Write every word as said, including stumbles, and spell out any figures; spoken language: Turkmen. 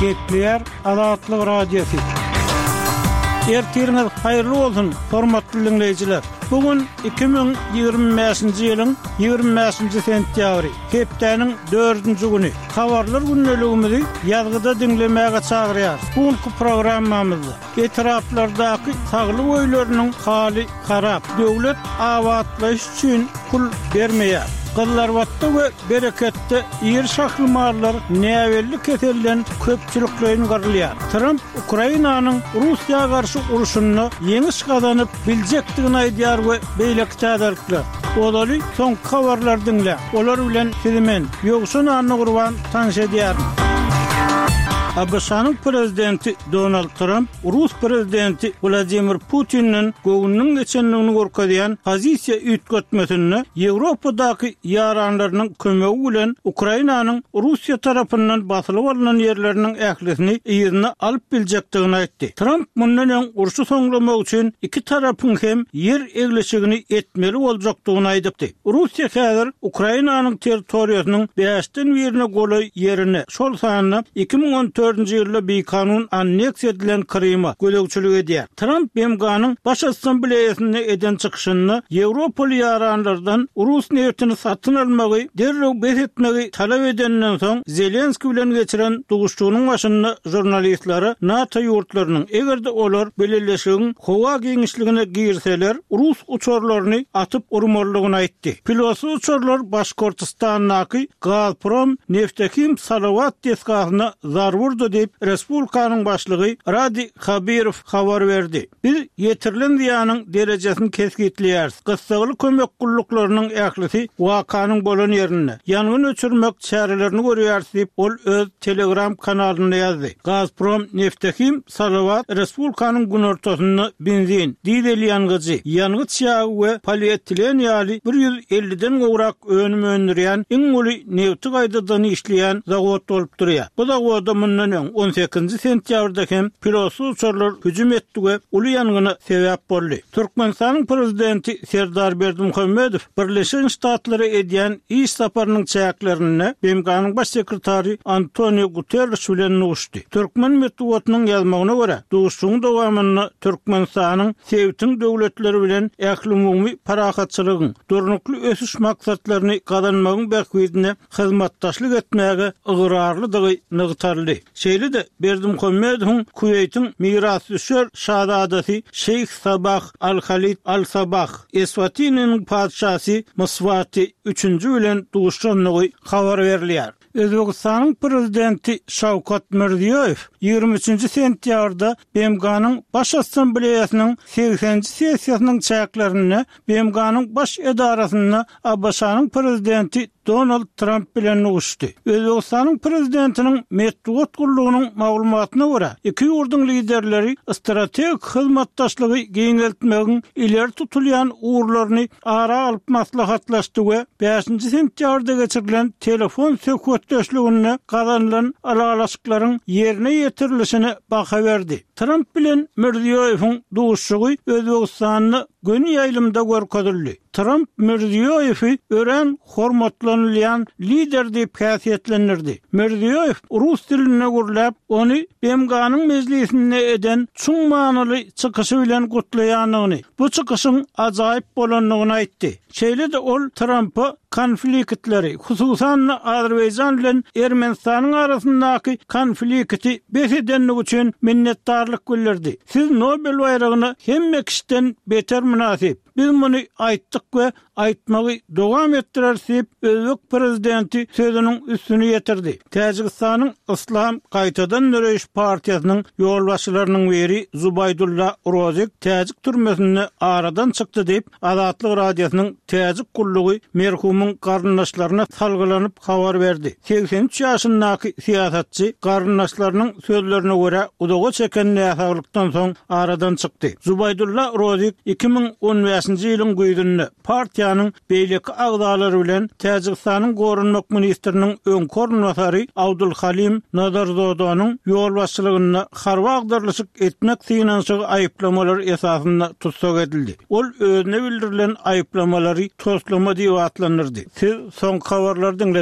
Gepleýär Azatlyk Radiosy. Ertiriňiz haýyrly bolsun, hormatly diňleýjiler! Bu gün iki müň ýigrimi bäşinji ýylyň ýigrimi bäşinji sentýabry, hepdäniň dördünji güni. Habarlar gündeligimizi ýazgyda diňlemäge çagyrýarys. Bu günki programmamyzda etraplardaky saglyk öýleriniň haly harap, döwlet abatlaýyş üçin pul bermeýär. Gyzlarbatda we Bereketde iri şahly mallar näbelli keselden köpçülikleýin gyrylýar. Tramp Ukrainanyň Russiýa garşy urşunda ýeňiş gazanyp biljekdigini aýdýar we beýleki täzelikler. Ozaly soňky habarlary diňläň. Olar bilen sizi men, Ýowşan Annagurban tanyş edýärin. ABŞ-nyň prezidenti Donald Tramp rus prezidenti Wladimir Putinden göwnüniň geçendigini görkezýän pozisiýa üýtgetmesinde Ýewropadaky ýaranlarynyň kömegi bilen Ukrainanyň Russiýa tarapyndan basylyp alnan ýerleriniň ählisini yzyna alyp biljekdigini aýtdy. Tramp mundan öň urşy soňlamak üçin iki tarapyň hem ýer eglişigini etmeli boljakdygyny aýdypdy. Russiýa häzir Ukrainanyň territoriýasynyň bäşden birine golaý ýerine, şol sanda iki müň on dördünji ýylda bikanun anneksiýa edilen Kryma gözegçilik edýär. Tramp B M G-nyň Baş Assambleýasynda eden çykyşynda Ýewropaly ýaranlardan rus nebitini satyn almagy derrew bes etmegi talap edenden soň Zelenskiý bilen geçiren duşuşygynyň başynda žurnalistlere NATO ýurtlarynyň eger-de olar bileleşigiň howa giňişligine girseler rus uçarlaryny atyp urmalydygyny aýtdy. Pilotsyz uçarlar Başkortistandaky Gazprom Neftehim Salawat desgasyna zarba urdy diýip Respublikanyň başlygy Radi Habirow habar berdi. Biz ýetirilen zyýanyň derejesini kesgitleýäris. Gyssagly kömek gulluklarynyň ählisi wakanyň bolan ýerinde ýangyn öçürmek çärelerini görýäris diýip ol öz Telegram kanalynda ýazdy. Gazprom Neftehim Salawat Respublikanyň günortasynda benzin, dizel ýangyjy, ýangyç ýagy we polietilen ýaly bir ýüz elliden gowrak önüm öndürýän iň uly nebti gaýtadan işleýän zawod bolup durýar. Bu zawoda mundan öň on sekizinji sentýabrda hem pilotsyz uçarlar hüjüm etdi we uly ýangyna sebäp boldy. Türkmenistanyň prezidenti Serdar Berdimuhamedow Birleşen Ştatlara edýän iş saparynyň çäklerinde B M G-nyň baş sekretary Antonio Guterres bilen duşdy. Türkmen metbugatynyň ýazmagyna görä, duşuşygyň dowamynda Türkmenistanyň sebitiň döwletleri bilen ählumumy parahatçylygyň, durnukly ösüş maksatlaryny gazanmagyň bähbidine hyzmatdaşlyk etmäge ygrarlydygy nygtaldy. Şeýle-de Berdimuhamedowyň Kuweýtiň mirasdüşer şazadasy Şeýh Sabah Al-Halid Al-Sabah, Eswatiniň patyşasy Mswati üçünji bilen duşandygy habar berilýär. Özbegistanyň prezidenti Şawkat Mirziýoýew ýigrimi üçünji sentýabrda B M G-nyň Baş Assambleýasynyň segseninji sessiýasynyň çäklerinde B M G-nyň baş edarasynda A B Ş-nyň prezidenti Donald Tramp bilen duşdy. Özbegistanyň prezidentiniň metbugat gullugynyň maglumatyna görä, iki ýurduň liderleri strategik hyzmatdaşlygy giňeltmegiň ileri tutulýan ugurlaryny ara alyp maslahatlaşdy we bäşinji sentýabrda geçirilen telefon söhbetdeşliginde gazanylan ylalaşyklaryň ýerine ýetirilişine baha berdi. Tramp bilen Mirziýoýewiň duşuşygy Özbegistanda göni ýaýlymda görkezildi. Tramp Mirziýoýewi örän hormatlanylýan lider diýip häsiýetlendirdi. Mirziýoýew rus dilinde gürläp, ony B M G-nyň mejlisinde eden çuň manyly çykyşy bilen gutlaýandygyny, bu çykyşyň ajaýyp bolandygyny aýtdy. Şeýle-de ol Trampa konfliktleri, hususan-da Azerbaýjan bilen Ermenistanyň arasyndaky konflikti bes edendigi üçin minnetdarlyk bildirdi. Siz Nobel baýragyna hemme kişiden beter mynasyp. Biz muny aýtdyk we aýtmagy dowam etdireris diýip özbek prezidenti sözüniň üstüni ýetirdi. Täjigistanyň Islam gaýtadan döreýiş partiýasynyň ýolbaşçylarynyň biri Zubaydulla Rozik täjik türmesinde aradan çykdy diýip Azatlyk Radiosynyň täjik gullugy merhumyň garyndaşlaryna salgylanyp habar berdi. Seksen üç ýaşyndaky syýasatçy garyndaşlarynyň sözlerine görä uzaga çeken näsaglykdan soň aradan çykdy. Zubaydulla Rozik iki müň on bäşinji ýylyň güýzünde partiýanyň beýleki agzalary bilen Täjigistanyň goranmak ministriniň öňki orunbasary Abdulhalim Nazarzodanyň ýolbaşçylygynda harby agdarlyşyk etmek synanyşygy aýyplamalary esasynda tussag edildi. Ol özüne bildirilen aýyplamalary toslama diýip atlandyrdy. Siz soňky habarlary diňlediniz.